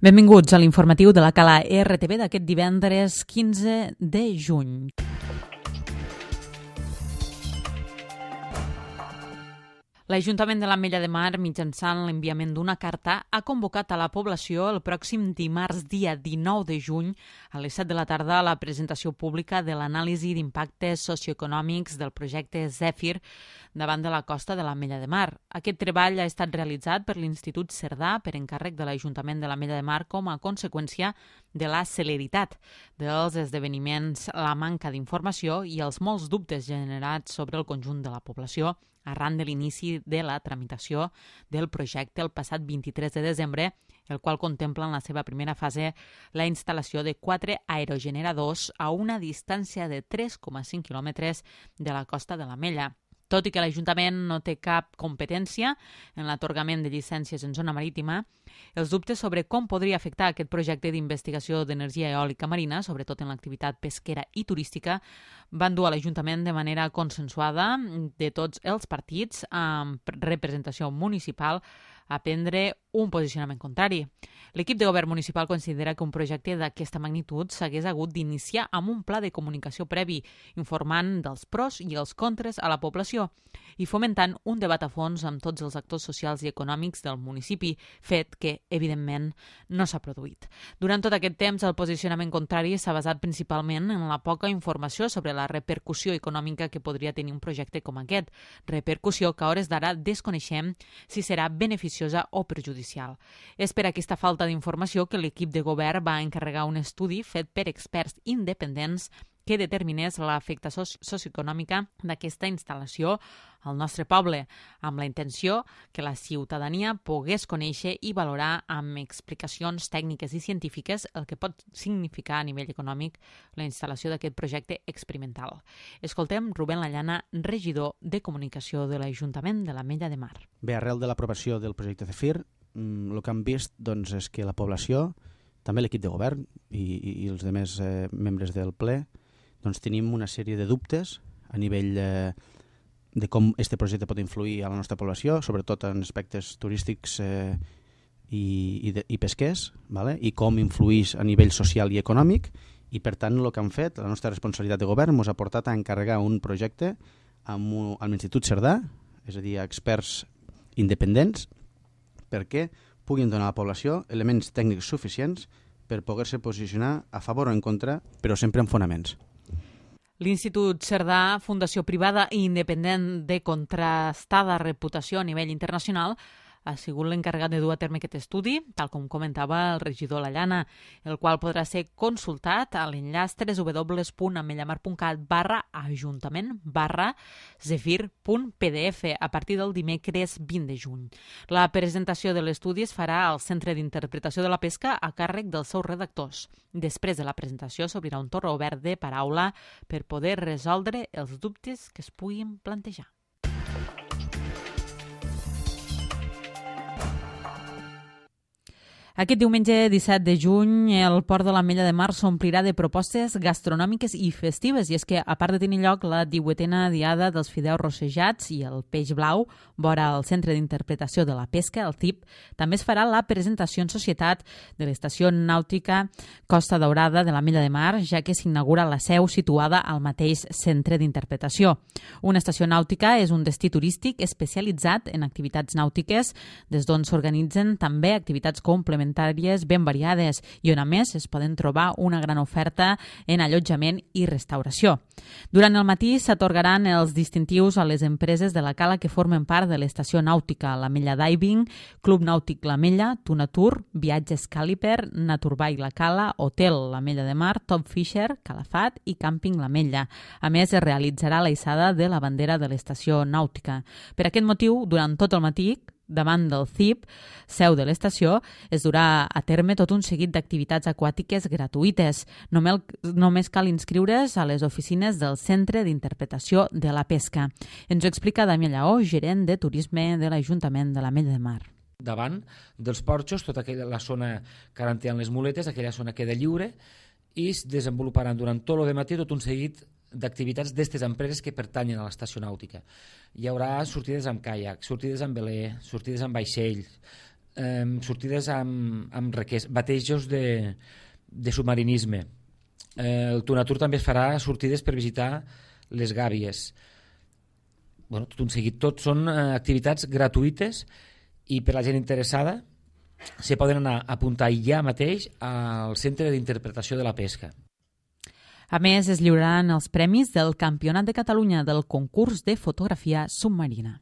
Benvinguts a l'informatiu de la Cala RTV d'aquest divendres 15 de juny. L'Ajuntament de l'Ametlla de Mar, mitjançant l'enviament d'una carta, ha convocat a la població el pròxim dimarts, dia 19 de juny, a les 7 de la tarda, a la presentació pública de l'anàlisi d'impactes socioeconòmics del projecte Zèfir davant de la costa de l'Ametlla de Mar. Aquest treball ha estat realitzat per l'Institut Cerdà per encàrrec de l'Ajuntament de l'Ametlla de Mar com a conseqüència de la celeritat dels esdeveniments, la manca d'informació i els molts dubtes generats sobre el conjunt de la població arran de l'inici de la tramitació del projecte el passat 23 de desembre, el qual contempla en la seva primera fase la instal·lació de 4 aerogeneradors a una distància de 3,5 quilòmetres de la costa de l'Ametlla. Tot i que l'Ajuntament no té cap competència en l'atorgament de llicències en zona marítima, els dubtes sobre com podria afectar aquest projecte d'investigació d'energia eòlica marina, sobretot en l'activitat pesquera i turística, van dur a l'Ajuntament de manera consensuada de tots els partits amb representació municipal a prendre un posicionament contrari. L'equip de govern municipal considera que un projecte d'aquesta magnitud s'hagués hagut d'iniciar amb un pla de comunicació previ, informant dels pros i els contres a la població i fomentant un debat a fons amb tots els actors socials i econòmics del municipi, fet que, evidentment, no s'ha produït. Durant tot aquest temps, el posicionament contrari s'ha basat principalment en la poca informació sobre la repercussió econòmica que podria tenir un projecte com aquest, repercussió que a hores d'ara desconeixem si serà beneficiosa o perjudicial. És per aquesta falta d'informació que l'equip de govern va encarregar un estudi fet per experts independents que determinés l'afectació socioeconòmica d'aquesta instal·lació al nostre poble, amb la intenció que la ciutadania pogués conèixer i valorar amb explicacions tècniques i científiques el que pot significar a nivell econòmic la instal·lació d'aquest projecte experimental. Escoltem Rubén Lallana, regidor de Comunicació de l'Ajuntament de l'Ametlla de Mar. Bé, arrel de l'aprovació del projecte Zèfir, el que hem vist és que la població, també l'equip de govern i els altres membres del ple, tenim una sèrie de dubtes a nivell de com aquest projecte pot influir a la nostra població, sobretot en aspectes turístics i pesquers, i com influeix a nivell social i econòmic, i per tant el que han fet, la nostra responsabilitat de govern, ens ha portat a encarregar un projecte amb l'Institut Cerdà, és a dir, a experts independents, perquè puguin donar a la població elements tècnics suficients per poder-se posicionar a favor o en contra, però sempre amb fonaments. L'Institut Cerdà, fundació privada i independent de contrastada reputació a nivell internacional, ha sigut l'encarregat de dur a terme aquest estudi, tal com comentava el regidor Lallana, el qual podrà ser consultat a l'enllaç www.ametllamar.cat/ajuntament/zefir.pdf a partir del dimecres 20 de juny. La presentació de l'estudi es farà al Centre d'Interpretació de la Pesca a càrrec dels seus redactors. Després de la presentació s'obrirà un torn obert de paraula per poder resoldre els dubtes que es puguin plantejar. Aquest diumenge 17 de juny el Port de l'Ametlla de Mar s'omplirà de propostes gastronòmiques i festives, i és que, a part de tenir lloc la 18a diada dels fideus rossejats i el peix blau, vora el Centre d'Interpretació de la Pesca, el CIP, també es farà la presentació en societat de l'Estació Nàutica Costa Daurada de l'Ametlla de Mar, ja que s'inaugura la seu situada al mateix Centre d'Interpretació. Una estació nàutica és un destí turístic especialitzat en activitats nàutiques, des d'on s'organitzen també activitats complementàries ben variades i on a més es poden trobar una gran oferta en allotjament i restauració. Durant el matí s'atorgaran els distintius a les empreses de la cala que formen part de l'estació nàutica, l'Ametlla Diving, Club Nàutic l'Ametlla, Tunatur, Viatges Càliper, Naturbay la Cala, Hotel l'Ametlla de Mar, Top Fisher, Calafat i Càmping l'Ametlla. A més, es realitzarà la hissada de la bandera de l'estació nàutica. Per aquest motiu, durant tot el matí, davant del CIP, seu de l'estació, es durà a terme tot un seguit d'activitats aquàtiques gratuïtes. Només cal inscriure's a les oficines del Centre d'Interpretació de la Pesca. Ens ho explica Damià Lleó, gerent de turisme de l'Ajuntament de l'Ametlla de Mar. Davant dels porxos, tota la zona que ara en tenen les muletes, aquella zona queda lliure i es desenvoluparan durant tot el matí tot un seguit d'activitats d'aquestes empreses que pertanyen a l'estació nàutica. Hi haurà sortides amb caiac, sortides amb veler, sortides amb vaixells, sortides amb batejos de submarinisme. El Tunatur també es farà sortides per visitar les gàbies. Bueno, tot un seguit. Tot són activitats gratuïtes i per la gent interessada se poden anar a apuntar ja mateix al Centre d'Interpretació de la Pesca. A més, es lliuraran els premis del Campionat de Catalunya del concurs de fotografia submarina.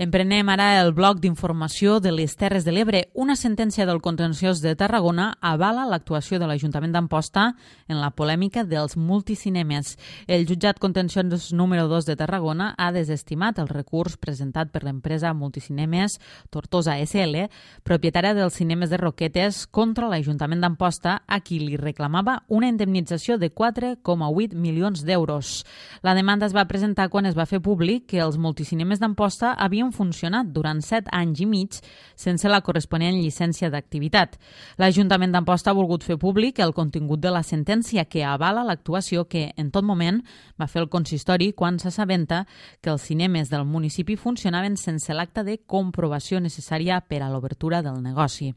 Emprenem ara el bloc d'informació de les Terres de l'Ebre. Una sentència del contenciós de Tarragona avala l'actuació de l'Ajuntament d'Amposta en la polèmica dels multicinemes. El jutjat contenciós número 2 de Tarragona ha desestimat el recurs presentat per l'empresa Multicinemes Tortosa SL, propietària dels cinemes de Roquetes, contra l'Ajuntament d'Amposta, a qui li reclamava una indemnització de 4,8 milions d'euros. La demanda es va presentar quan es va fer públic que els multicinemes d'Amposta havien funcionat durant 7 anys i mig sense la corresponent llicència d'activitat. L'Ajuntament d'Amposta ha volgut fer públic el contingut de la sentència que avala l'actuació que, en tot moment, va fer el consistori quan s'assabenta que els cinemes del municipi funcionaven sense l'acte de comprovació necessària per a l'obertura del negoci.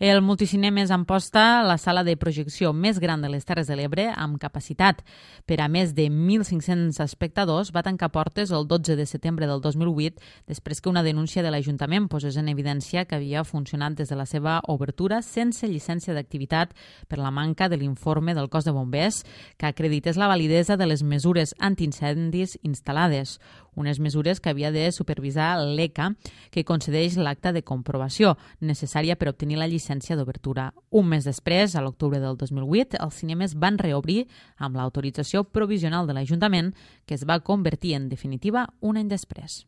El Multicinemes Amposta, la sala de projecció més gran de les Terres de l'Ebre, amb capacitat per a més de 1.500 espectadors, va tancar portes el 12 de setembre del 2008 després que una denúncia de l'Ajuntament posés en evidència que havia funcionat des de la seva obertura sense llicència d'activitat per la manca de l'informe del cos de bombers que acredités la validesa de les mesures antiincendis instal·lades, unes mesures que havia de supervisar l'ECA, que concedeix l'acte de comprovació necessària per obtenir la llicència d'obertura. Un mes després, a l'octubre del 2008, els cinemes van reobrir amb l'autorització provisional de l'Ajuntament, que es va convertir en definitiva un any després.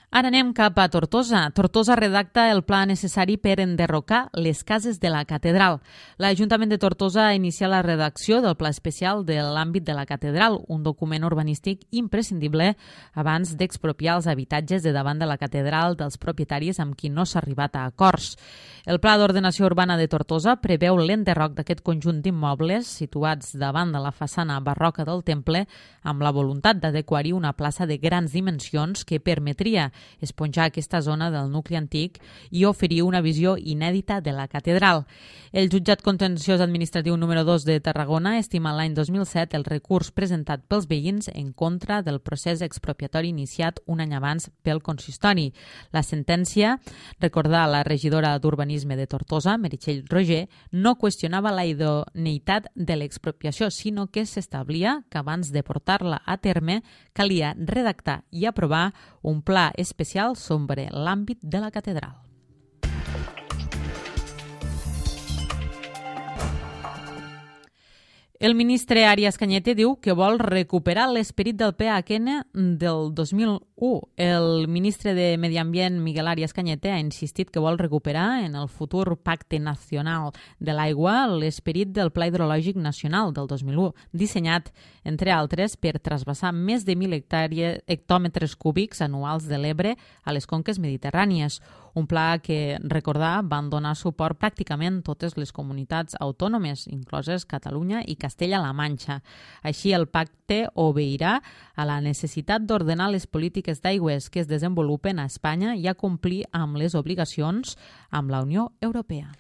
Ara anem cap a Tortosa. Tortosa redacta el pla necessari per enderrocar les cases de la catedral. L'Ajuntament de Tortosa ha iniciat la redacció del pla especial de l'àmbit de la catedral, un document urbanístic imprescindible abans d'expropiar els habitatges de davant de la catedral dels propietaris amb qui no s'ha arribat a acords. El Pla d'Ordenació Urbana de Tortosa preveu l'enderroc d'aquest conjunt d'immobles situats davant de la façana barroca del temple amb la voluntat d'adequar-hi una plaça de grans dimensions que permetria esponjar aquesta zona del nucli antic i oferir una visió inèdita de la catedral. El jutjat contenciós administratiu número 2 de Tarragona estima l'any 2007 el recurs presentat pels veïns en contra del procés expropiatori iniciat un any abans pel consistori. La sentència, recordar la regidora d'Urbanisme de Tortosa, Meritxell Roger, no qüestionava la idoneïtat de l'expropiació, sinó que s'establia que abans de portar-la a terme calia redactar i aprovar un pla especial sobre l'àmbit de la catedral. El ministre Arias Cañete diu que vol recuperar l'esperit del PHN del 2001. El ministre de Medi Ambient, Miguel Arias Cañete, ha insistit que vol recuperar en el futur Pacte Nacional de l'Aigua l'esperit del Pla Hidrològic Nacional del 2001, dissenyat, entre altres, per trasbassar més de 1.000 hectòmetres cúbics anuals de l'Ebre a les conques mediterrànies. Un pla que, recordar, van donar suport pràcticament totes les comunitats autònomes, incloses Catalunya i Castella-La Manxa. Així, el pacte obeirà a la necessitat d'ordenar les polítiques d'aigües que es desenvolupen a Espanya i a complir amb les obligacions amb la Unió Europea.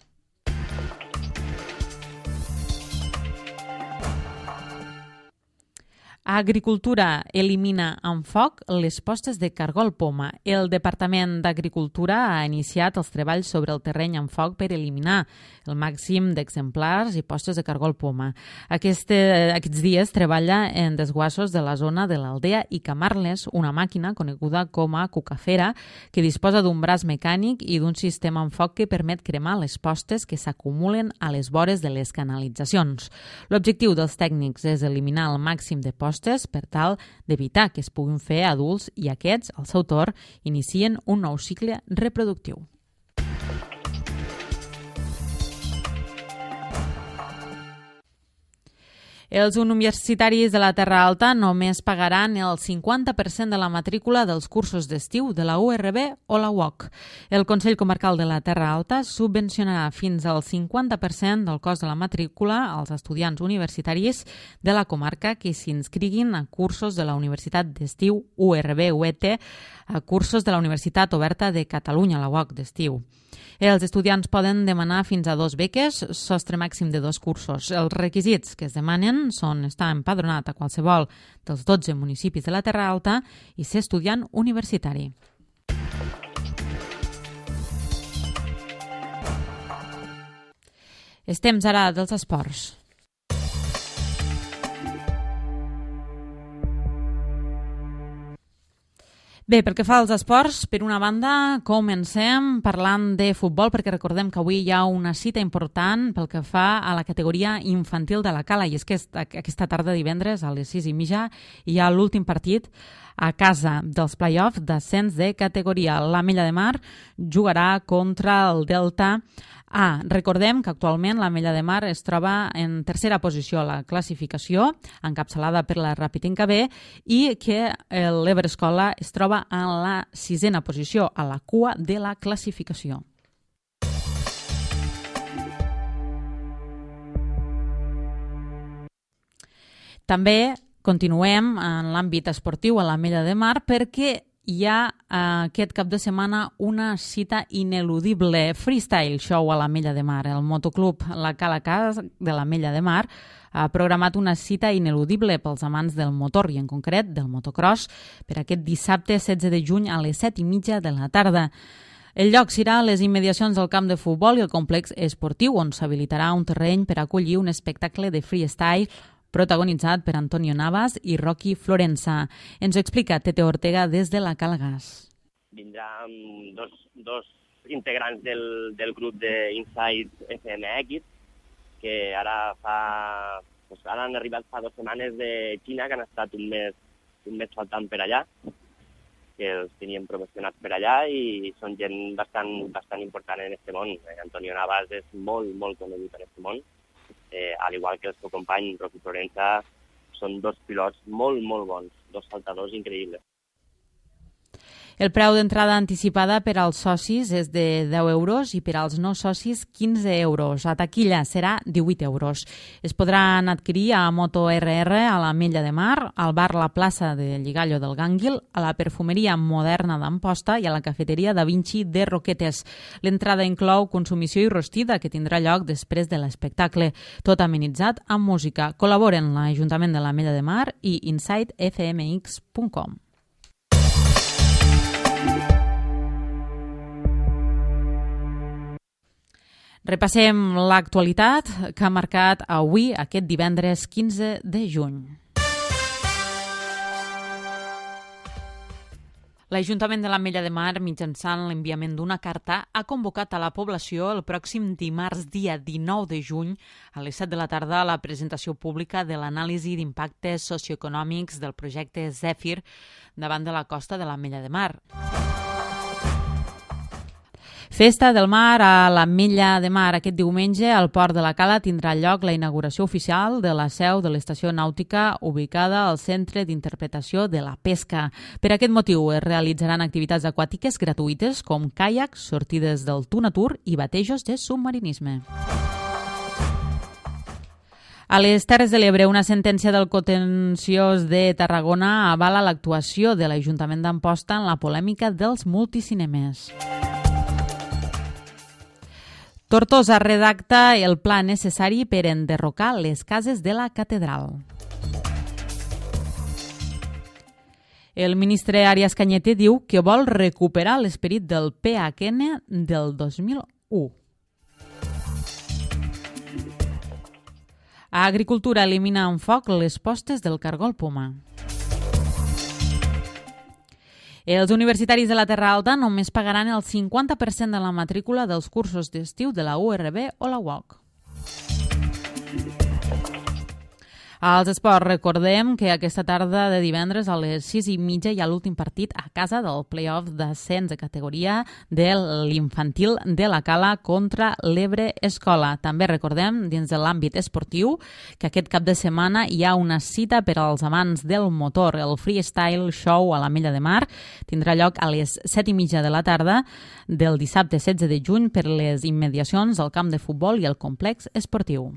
Agricultura elimina amb foc les postes de cargol poma. El Departament d'Agricultura ha iniciat els treballs sobre el terreny amb foc per eliminar el màxim d'exemplars i postes de cargol poma. Aquests dies treballa en desguassos de la zona de l'Aldea i Camarles, una màquina coneguda com a cucafera que disposa d'un braç mecànic i d'un sistema amb foc que permet cremar les postes que s'acumulen a les vores de les canalitzacions. L'objectiu dels tècnics és eliminar el màxim de postes per tal d'evitar que es puguin fer adults i aquests, al seu torn, inicien un nou cicle reproductiu. Els universitaris de la Terra Alta només pagaran el 50% de la matrícula dels cursos d'estiu de la URB o la UOC. El Consell Comarcal de la Terra Alta subvencionarà fins al 50% del cost de la matrícula als estudiants universitaris de la comarca que s'inscriguin a cursos de la Universitat d'Estiu URB-UET, a cursos de la Universitat Oberta de Catalunya, la UOC d'estiu. Els estudiants poden demanar fins a 2 beques, sostre màxim de 2 cursos. Els requisits que es demanen són estar empadronat a qualsevol dels 12 municipis de la Terra Alta i ser estudiant universitari. És temps ara dels esports. Bé, pel que fa als esports, per una banda, comencem parlant de futbol, perquè recordem que avui hi ha una cita important pel que fa a la categoria infantil de la Cala, i és que aquesta tarda divendres a les 6:30 hi ha l'últim partit a casa dels play-offs d'ascens de categoria. l'Ametlla de Mar jugarà contra el Delta A. Recordem que actualment l'Ametlla de Mar es troba en tercera posició a la classificació, encapçalada per la Rapitinca B, i que l'Everescola es troba en la 6a posició, a la cua de la classificació. També continuem en l'àmbit esportiu a l'Ametlla de Mar perquè hi ha aquest cap de setmana una cita ineludible, freestyle show a l'Ametlla de Mar. El motoclub La Cala Cas de l'Ametlla de Mar ha programat una cita ineludible pels amants del motor i en concret del motocross per aquest dissabte 16 de juny a les 7:30 de la tarda. El lloc serà a les immediacions del camp de futbol i el complex esportiu on s'habilitarà un terreny per acollir un espectacle de freestyle protagonitzat per Antonio Navas i Rocky Florenza. Ens ho explica Tete Ortega des de la Cala Gas. Vindran dos integrants del grup d'Inside FMX, que ara han arribat fa 2 setmanes de Xina, que han estat un mes faltant per allà, que els teníem promocionats per allà i són gent bastant important en aquest món. Antonio Navas és molt conegut en aquest món. Al igual que el seu company Rocky Florenza, són 2 pilots molt bons, 2 saltadors increïbles. El preu d'entrada anticipada per als socis és de 10 euros i per als no socis 15 euros. A taquilla serà 18 euros. Es podran adquirir a Moto RR, a l'Ametlla de Mar, al bar La Plaça de Lligallo del Gànguil, a la perfumeria moderna d'Amposta i a la cafeteria Da Vinci de Roquetes. L'entrada inclou consumició i rostida que tindrà lloc després de l'espectacle, tot amenitzat amb música. Col·laboren l'Ajuntament de l'Ametlla de Mar i InsideFMX.com. Repassem l'actualitat que ha marcat avui, aquest divendres 15 de juny. L'Ajuntament de l'Ametlla de Mar, mitjançant l'enviament d'una carta, ha convocat a la població el pròxim dimarts, dia 19 de juny, a les 7 de la tarda, a la presentació pública de l'anàlisi d'impactes socioeconòmics del projecte Zèfir davant de la costa de l'Ametlla de Mar. Festa del Mar a l'Ametlla de Mar. Aquest diumenge al Port de la Cala tindrà lloc la inauguració oficial de la seu de l'estació nàutica ubicada al Centre d'Interpretació de la Pesca. Per aquest motiu es realitzaran activitats aquàtiques gratuïtes com caiacs, sortides del Tunatur i batejos de submarinisme. A les Terres de l'Ebre, una sentència del contenciós de Tarragona avala l'actuació de l'Ajuntament d'Amposta en la polèmica dels multicinemes. Tortosa redacta el pla necessari per enderrocar les cases de la catedral. El ministre Arias Cañete diu que vol recuperar l'esperit del PHN del 2001. A Agricultura elimina amb foc les postes del cargol poma. Els universitaris de la Terra Alta només pagaran el 50% de la matrícula dels cursos d'estiu de la URB o la UOC. Als esports, recordem que aquesta tarda de divendres a les 6:30 hi ha l'últim partit a casa del play-off d'ascens de categoria de l'infantil de la Cala contra l'Ebre Escola. També recordem, dins de l'àmbit esportiu, que aquest cap de setmana hi ha una cita per als amants del motor. El Freestyle Show a l'Ametlla de Mar tindrà lloc a les 7:30 de la tarda del dissabte 16 de juny per les immediacions del camp de futbol i el complex esportiu.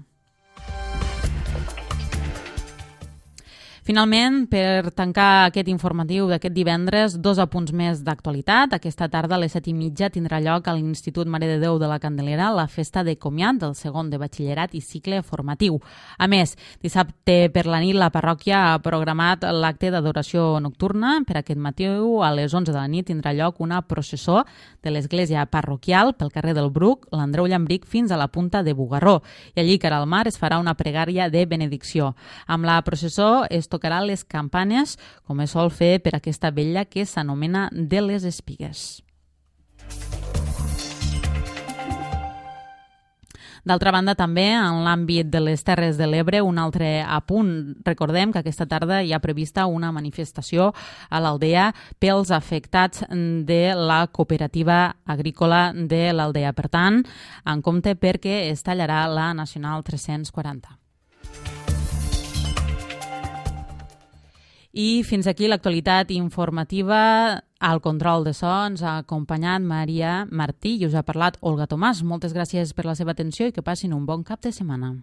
Finalment, per tancar aquest informatiu d'aquest divendres, 2 apunts més d'actualitat. Aquesta tarda a les 7:30 tindrà lloc a l'Institut Mare de Déu de la Candelera la festa de comiat del segon de batxillerat i cicle formatiu. A més, dissabte per la nit la parròquia ha programat l'acte d'adoració nocturna. Per aquest matí a les 11 de la nit tindrà lloc una processó de l'església parroquial pel carrer del Bruc, l'Andreu Llambric, fins a la punta de Bugarró. I allí, cara al mar, es farà una pregària de benedicció. Amb la processó es tocarà les campanes, com es sol fer per aquesta vetlla que s'anomena de les espigues. D'altra banda, també, en l'àmbit de les Terres de l'Ebre, un altre apunt. Recordem que aquesta tarda hi ha prevista una manifestació a l'Aldea pels afectats de la cooperativa agrícola de l'Aldea. Per tant, en compte perquè es tallarà la Nacional 340. I fins aquí l'actualitat informativa. Al control de so ens ha acompanyat Maria Martí i us ha parlat Olga Tomàs. Moltes gràcies per la seva atenció i que passin un bon cap de setmana.